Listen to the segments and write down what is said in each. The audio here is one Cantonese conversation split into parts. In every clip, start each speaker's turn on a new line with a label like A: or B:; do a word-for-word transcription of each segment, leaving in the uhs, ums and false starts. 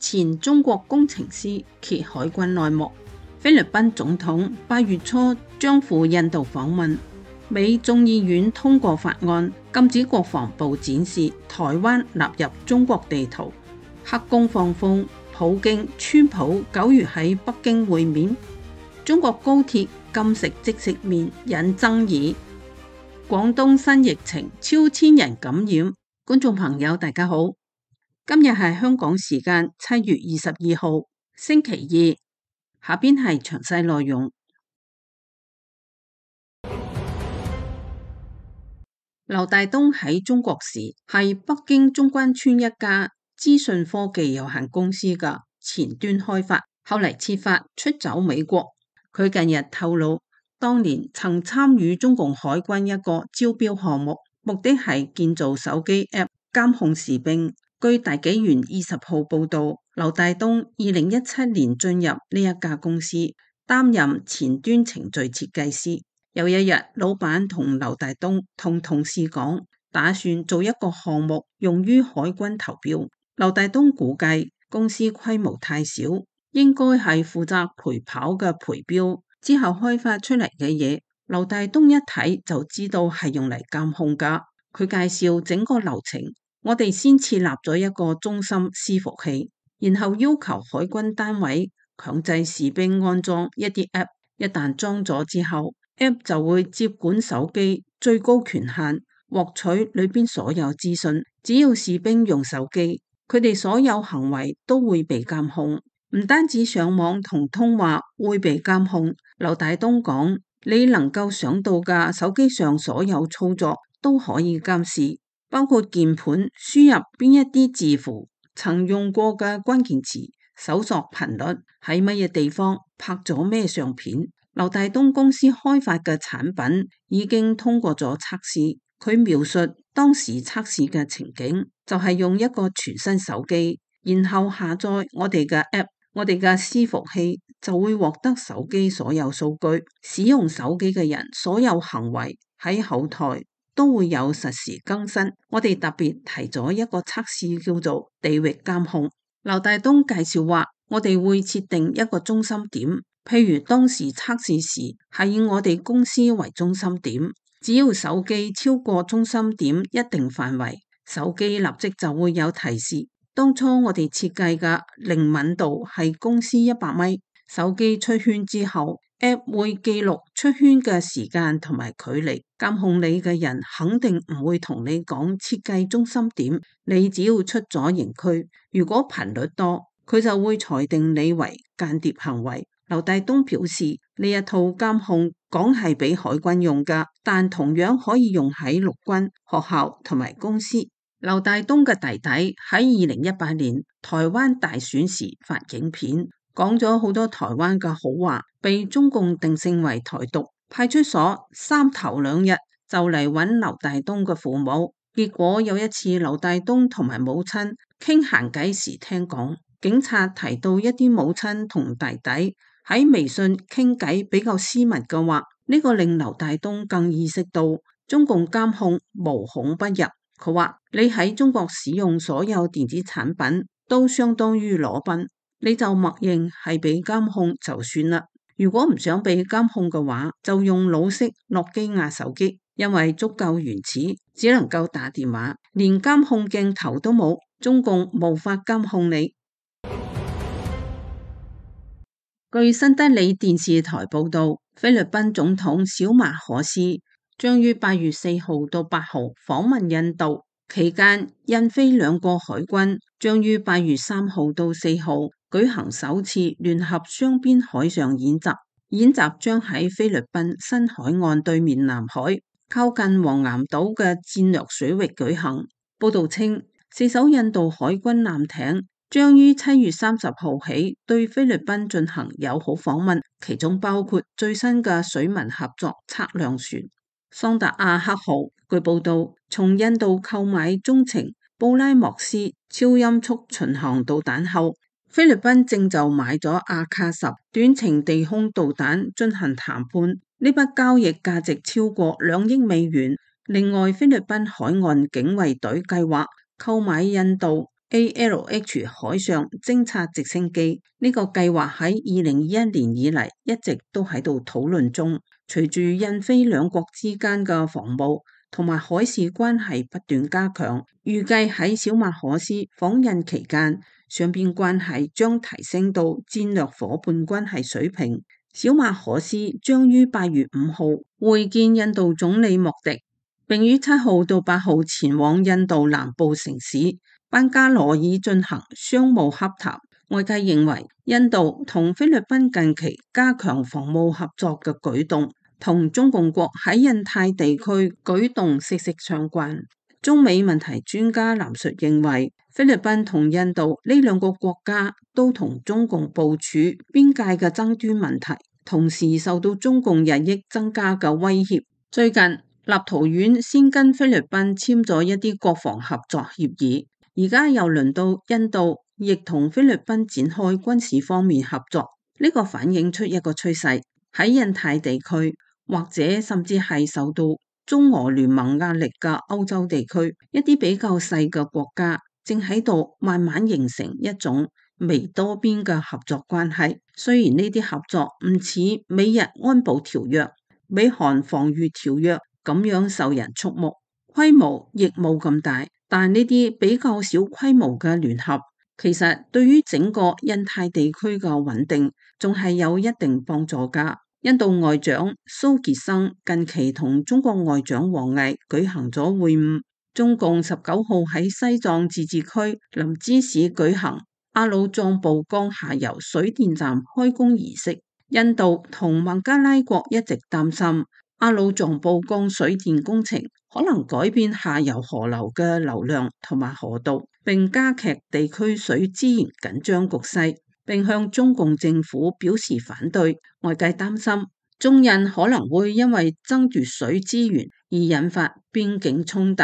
A: 前中國工程師揭海軍內幕。菲律賓總統八月初將赴印度訪問，美眾議院通過法案，禁止國防部展示台灣納入中國地圖。黑宮放風，普京、川普九月喺北京會面。中國高鐵禁食即食麵引爭議。廣東新疫情超千人感染。觀眾朋友大家好，今日係香港時間七月二十二號星期二，下邊係詳細內容。劉大東喺中國時係北京中關村一家資訊科技有限公司嘅前端開發，後嚟設法出走美國。佢近日透露，當年曾參與中共海軍一個招標項目，目的係建造手機 App 監控士兵。據大紀元二十號報道，劉大東二零一七年進入呢一家公司，擔任前端程序設計師。有一日，老闆同劉大東同同事講，打算做一個項目用於海軍投標。劉大東估計公司規模太小，應該係負責陪跑嘅陪標，之後開發出嚟嘅嘢，劉大東一睇就知道係用嚟監控噶。佢介紹整個流程，我哋先設立咗一個中心伺服器，然後要求海軍單位強制士兵安裝一啲 app， 一旦裝咗之後， app 就會接管手機，最高權限獲取裏邊所有資訊。只要士兵用手機，佢哋所有行為都會被監控，唔單止上網同通話會被監控。劉大東講，你能夠想到嘅手機上所有操作都可以監視，包括鍵盤輸入邊一啲字符、曾用過嘅關鍵詞、搜索頻率、喺乜嘢地方拍咗咩相片。劉大東公司開發嘅產品已經通過咗測試。佢描述當時測試嘅情景，就係用一個全新手機，然後下載我哋嘅 app， 我哋嘅伺服器就會獲得手機所有數據。使用手機嘅人所有行為喺後台都會有實時更新。我哋特別提咗一個測試叫做地域監控。劉大東介紹話，我哋會設定一個中心點，譬如當時測試時係以我哋公司為中心點，只要手機超過中心點一定範圍，手機立即就會有提示。當初我哋設計嘅靈敏度係公司一百米，手機出圈之後，App 會記錄出圈嘅時間同埋距離。監控你嘅人肯定唔會同你講設計中心點，你只要出咗營區，如果頻率多，佢就會裁定你為間諜行為。劉大東表示，呢一套監控講係俾海軍用噶，但同樣可以用喺陸軍、學校同埋公司。劉大東嘅弟弟喺二零一八年台灣大選時發影片，講咗好多台灣嘅好話，被中共定性為台獨。派出所三頭兩日就嚟揾劉大東嘅父母，結果有一次劉大東同埋母親傾閒偈時聽講，警察提到一啲母親同弟弟喺微信傾偈比較私密嘅話，呢個令劉大東更意識到中共監控無孔不入。佢話，你喺中國使用所有電子產品都相當於裸奔，你就默認係被監控就算啦。如果唔想被監控嘅話，就用老式諾基亞手機，因為足夠原始，只能夠打電話，連監控鏡頭都冇，中共無法監控你。據新德里電視台報道，菲律賓總統小馬可斯將於八月四號到八號訪問印度，期間印菲兩國海軍將於八月三號到四號舉行首次聯合雙邊海上演習。演習將喺菲律賓新海岸對面南海，靠近黃岩島嘅戰略水域舉行。報道稱，四艘印度海軍艦艇將於七月三十號起對菲律賓進行友好訪問，其中包括最新嘅水文合作測量船桑達亞克號。據報道，從印度購買中程布拉莫斯超音速巡航導彈後，菲律賓正就買咗阿卡什短程地空導彈進行談判，呢筆交易價值超過兩億美元。另外，菲律賓海岸警衛隊計劃購買印度 A L H 海上偵察直升機。呢個計劃喺二零二一年以嚟一直都喺度討論中。隨住印菲兩國之間嘅防務同埋海事關係不斷加強，預計喺小馬可斯訪印期間，雙邊關係將提升到戰略夥伴關係水平。小馬可斯將於八月五號會見印度總理莫迪，並於七號到八號前往印度南部城市班加羅爾進行商務洽談。外界認為印度同菲律賓近期加強防務合作嘅舉動，同中共國喺印太地區舉動息息相關。中美問題專家藍述認為，菲律賓同印度呢兩個國家都同中共部署邊界嘅爭端問題，同時受到中共日益增加嘅威脅。最近立陶宛先跟菲律賓簽咗一啲國防合作協議，而家又輪到印度亦同菲律賓展開軍事方面合作。呢個反映出一個趨勢，喺印太地區或者甚至係受到中俄聯盟壓力嘅歐洲地區，一啲比較細嘅國家正喺度慢慢形成一種微多邊嘅合作關係。雖然呢啲合作唔似美日安保條約、美韓防禦條約咁樣受人矚目，規模亦冇咁大，但呢啲比較小規模嘅聯合，其實對於整個印太地區嘅穩定仲係有一定幫助㗎。印度外長蘇傑生近期同中國外長王毅舉行咗會晤。中共十九號喺西藏自治區林芝市舉行阿魯藏布江下游水電站開工儀式。印度同孟加拉國一直擔心阿魯藏布江水電工程可能改變下游河流嘅流量同埋河道，並加劇地區水資源緊張局勢，並向中共政府表示反對。外界擔心中印可能會因為爭奪水資源而引發邊境衝突。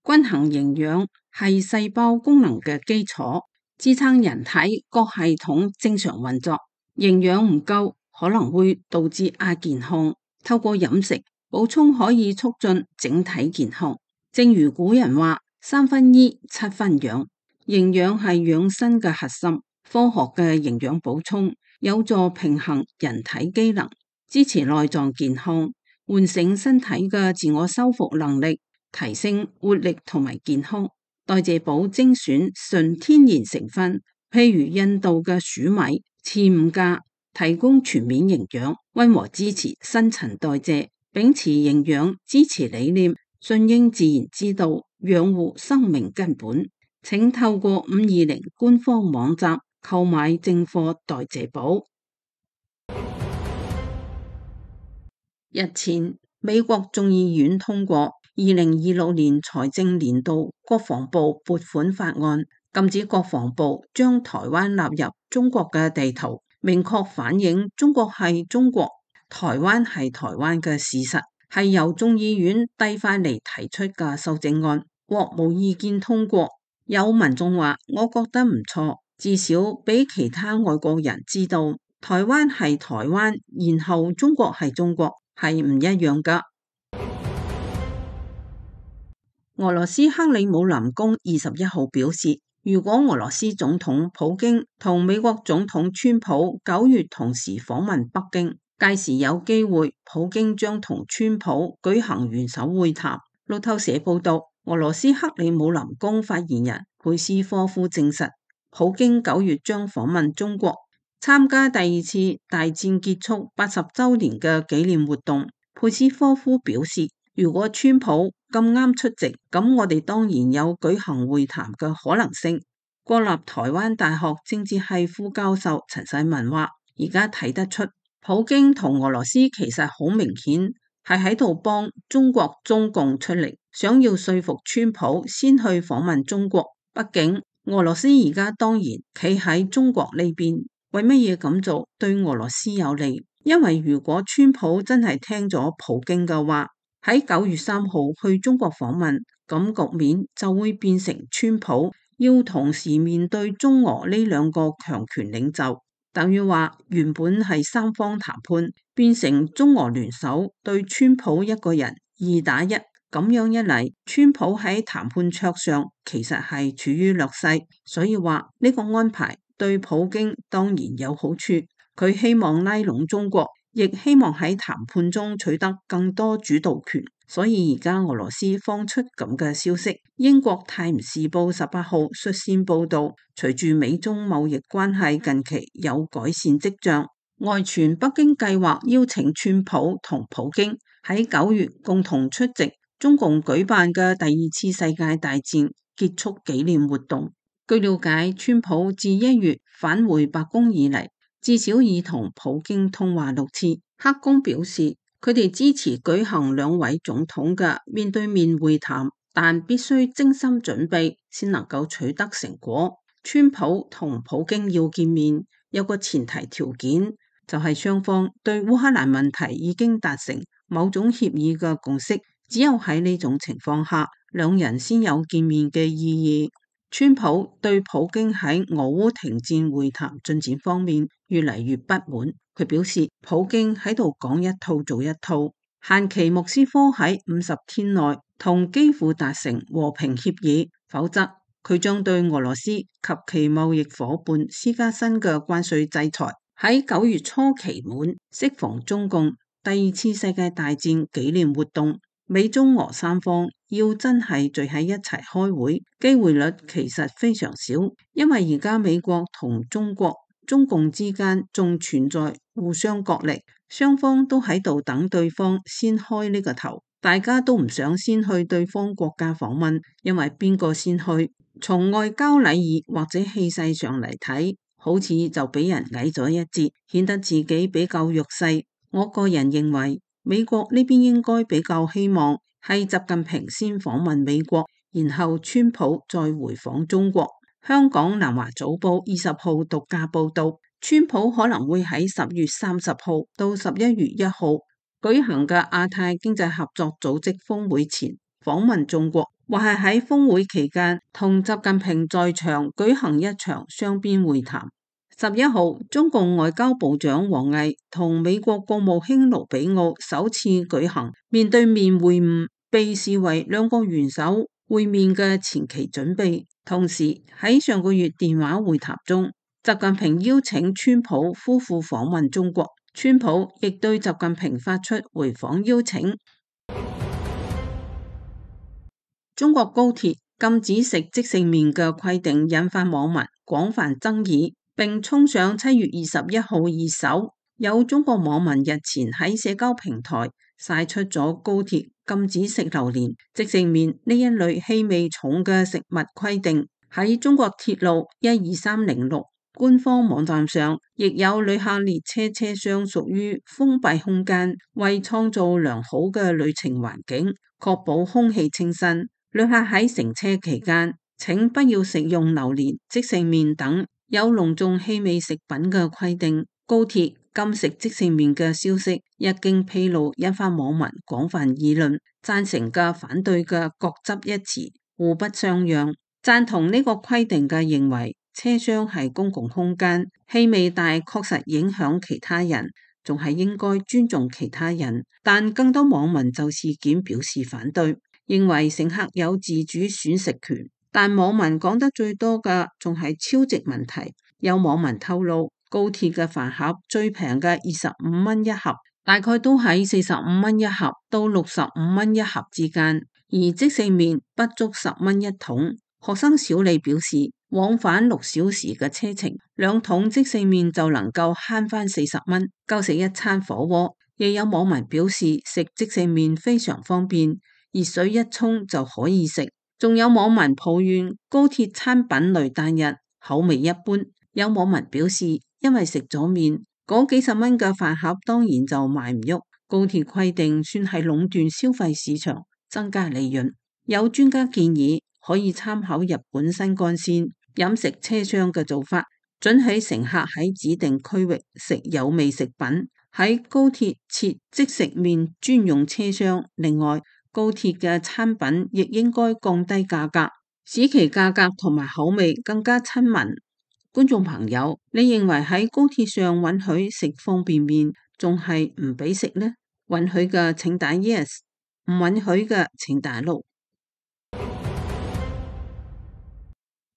A: 均衡營養係細胞功能嘅基礎，支撐人體各系統正常運作。營養唔夠可能會導致亞健康，透過飲食補充可以促進整體健康。正如古人話，三分醫七分養，營養係養生嘅核心。科學嘅營養補充有助平衡人體機能，支持內臟健康，喚醒身體嘅自我修復能力，提升活力同埋健康。代謝寶精選純天然成分，譬如印度嘅黍米、次五加，提供全面營養，溫和支持新陳代謝，秉持營養支持理念，順應自然之道，養護生命根本。請透過五二零官方網站購買正貨代謝寶。日前，美國眾議院通過二零二六年財政年度國防部撥款法案，禁止國防部將台灣納入中國嘅地圖，明確反映中國係中國、台灣係台灣嘅事實，係由眾議院遞返嚟提出嘅修正案，獲無意見通過。有民眾話，我覺得唔錯，至少俾其他外國人知道台灣係台灣，然後中國係中國，係唔一樣噶。俄羅斯克里姆林宮二十一號表示，如果俄羅斯總統普京同美國總統川普九月同時訪問北京，屆時有機會普京將同川普舉行元首會談。路透社報道，俄羅斯克里姆林宮發言人佩斯科夫證實，普京九月將訪問中國，參加第二次大戰結束八十週年嘅紀念活動。佩斯科夫表示，如果川普咁啱出席，咁我哋當然有舉行會談嘅可能性。國立台灣大學政治系副教授陳世文話，而家睇得出，普京同俄羅斯其實好明顯係喺度幫中國中共出力，想要說服川普先去訪問中國。畢竟俄羅斯而家當然企喺中國呢邊，為乜嘢咁做對俄羅斯有利？因為如果川普真係聽咗普京嘅話，喺九月三號去中國訪問，咁局面就會變成川普要同時面對中俄呢兩個強權領袖，等於話原本係三方談判，變成中俄聯手對川普一個人二打一，咁樣一嚟，川普喺談判桌上其實係處於劣勢，所以話呢個安排對普京當然有好處。佢希望拉攏中國，亦希望喺談判中取得更多主導權。所以而家俄羅斯放出咁嘅消息。英國泰晤士報十八號率先報道，隨住美中貿易關係近期有改善跡象，外傳北京計劃邀請川普同普京喺九月共同出席中共舉辦嘅第二次世界大戰結束紀念活動。據了解，川普自一月返回白宮以嚟，至少已同普京通話六次。黑宮表示，佢哋支持舉行兩位總統嘅面對面會談，但必須精心準備先能夠取得成果。川普同普京要見面，有個前提條件，就係雙方對烏克蘭問題已經達成某種協議嘅共識。只有喺呢種情況下，兩人先有見面嘅意義。川普對普京喺俄烏停戰會談進展方面越嚟越不滿，佢表示普京喺度講一套做一套，限期莫斯科喺五十天內同基輔達成和平協議，否則佢將對俄羅斯及其貿易夥伴施加新嘅關稅制裁。喺九月初期滿，適逢中共第二次世界大戰紀念活動，美中俄三方要真係聚喺一齊開會，機會率其實非常少，因為而家美國同中國、中共之間仲存在互相角力，雙方都喺度等對方先開呢個頭，大家都唔想先去對方國家訪問，因為邊個先去，從外交禮儀或者氣勢上嚟睇，好似就俾人矮咗一截，顯得自己比較弱勢。我個人認為，美國呢邊應該比較希望係習近平先訪問美國，然後川普再回訪中國。香港南華早報二十號獨家報道，川普可能會喺十月三十號到十一月一號舉行嘅亞太經濟合作組織峰會前訪問中國，或係喺峰會期間同習近平在場舉行一場雙邊會談。十一號，中共外交部長王毅同美國國務卿盧比奧首次舉行面對面會晤，被視為兩個元首會面嘅前期準備。同時喺上個月電話會談中，習近平邀請川普夫婦訪問中國，川普亦對習近平發出回訪邀請。中國高鐵禁止食即食麵嘅規定引發網民廣泛爭議，並衝上七月二十一號熱搜。有中國網民日前喺社交平台晒出咗高鐵禁止食榴蓮、即食麵呢一類氣味重嘅食物規定。喺中國鐵路一二三零六官方網站上，亦有旅客列車車廂屬於封閉空間，為創造良好嘅旅程環境，確保空氣清新。旅客喺乘車期間，請不要食用榴蓮、即食麵等有濃重氣味食品嘅規定。高鐵禁食即食麵嘅消息一經披露，引發網民廣泛議論，贊成嘅、反對嘅各執一詞，互不相讓。贊同呢個規定嘅認為，車廂係公共空間，氣味大確實影響其他人，仲係應該尊重其他人。但更多網民就事件表示反對，認為乘客有自主選食權。但網民講得最多嘅仲係超值問題。有網民透露，高鐵嘅飯盒最平嘅二十五蚊一盒，大概都喺四十五蚊一盒到六十五蚊一盒之間，而即食麵不足十蚊一桶。學生小李表示，往返六小時嘅車程，兩桶即食麵就能夠慳翻四十蚊，夠食一餐火鍋。亦有網民表示，食即食麵非常方便，熱水一沖就可以食。仲有網民抱怨高鐵餐品類單一，口味一般。有網民表示，因為食咗麵，嗰幾十蚊嘅飯盒當然就賣唔喐。高鐵規定算係壟斷消費市場，增加利潤。有專家建議可以參考日本新幹線飲食車廂嘅做法，准許乘客喺指定區域食有味食品。喺高鐵設即食麵專用車廂。另外，高鐵嘅餐品亦應該降低價格，使其價格同埋口味更加親民。觀眾朋友，你認為喺高鐵上允許食方便麵，仲係唔俾食呢？允許嘅請打 yes。唔允許嘅請打六。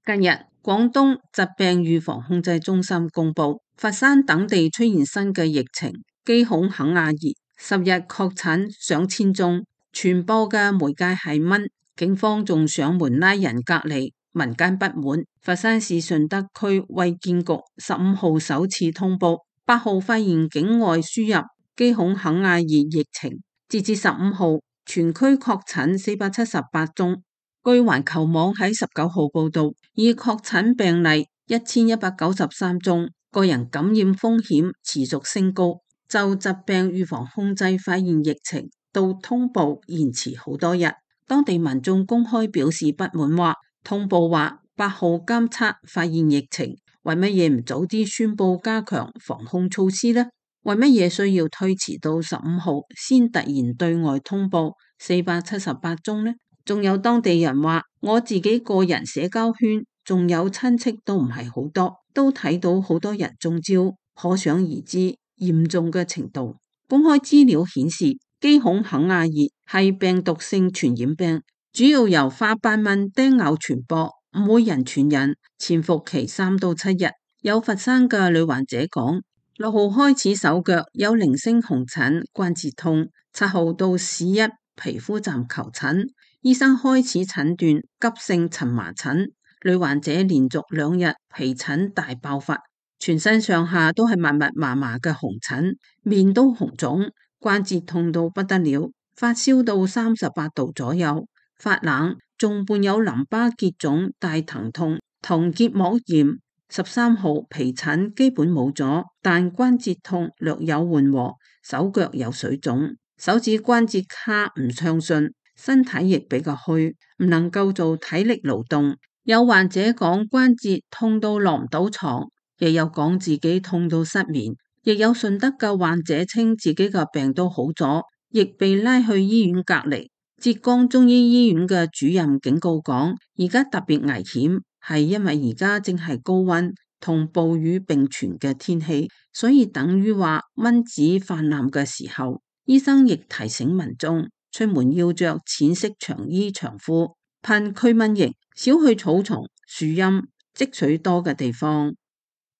A: 近日，廣東疾病預防控制中心公布，佛山等地出現新嘅疫情，基孔肯亞熱，十日確診上千宗，傳播嘅媒介係蚊，警方仲上門拉人隔離，民間不滿。佛山市順德區衛健局十五號首次通報，八號發現境外輸入基孔肯亞熱疫情，截至十五號，全區確診四百七十八宗。據環球網喺十九號報道，已確診病例一千一百九十三宗，個人感染風險持續升高。就疾病預防控制發現疫情到通報延遲好多日，當地民眾公開表示不滿，話通報話八號監測發現疫情，為乜嘢唔早啲宣布加強防控措施呢？為乜嘢需要推遲到十五號先突然對外通報四百七十八宗呢？仲有當地人話，我自己個人社交圈仲有親戚都唔係好多，都睇到好多人中招，可想而知嚴重嘅程度。公開資料顯示，基孔肯亞熱係病毒性傳染病，主要由花斑蚊叮咬傳播，唔會人傳人，潛伏期三到七日。有佛山嘅女患者講，六號開始手腳有零星紅疹、關節痛，七號到市一皮膚站求診。醫生開始診斷急性蕁麻疹，女患者連續兩日皮疹大爆發，全身上下都係密密麻麻嘅紅疹，面都紅腫，關節痛到不得了，發燒到三十八度左右，發冷，仲伴有淋巴結腫、大疼痛同結膜炎。十三號皮疹基本冇咗，但關節痛略有緩和，手腳有水腫，手指關節卡唔暢順。身體亦比較虛，唔能夠做體力勞動。有患者講關節痛到落唔到床，亦有講自己痛到失眠。亦有順德嘅患者稱自己嘅病都好咗，亦被拉去醫院隔離。浙江中醫醫院嘅主任警告講，而家特別危險，係因為而家正係高溫同暴雨並存嘅天氣，所以等於話蚊子泛濫嘅時候。醫生亦提醒民眾，出門要着淺色長衣長褲，噴驅蚊液，少去草叢、樹蔭、積水多嘅地方。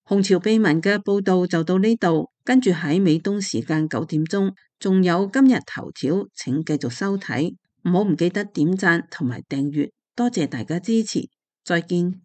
A: 紅潮秘聞嘅報道就到呢度，跟住喺美東時間九點鐘，仲有今日頭條，請繼續收睇，唔好唔記得點讚同埋訂閱，多謝大家支持，再見。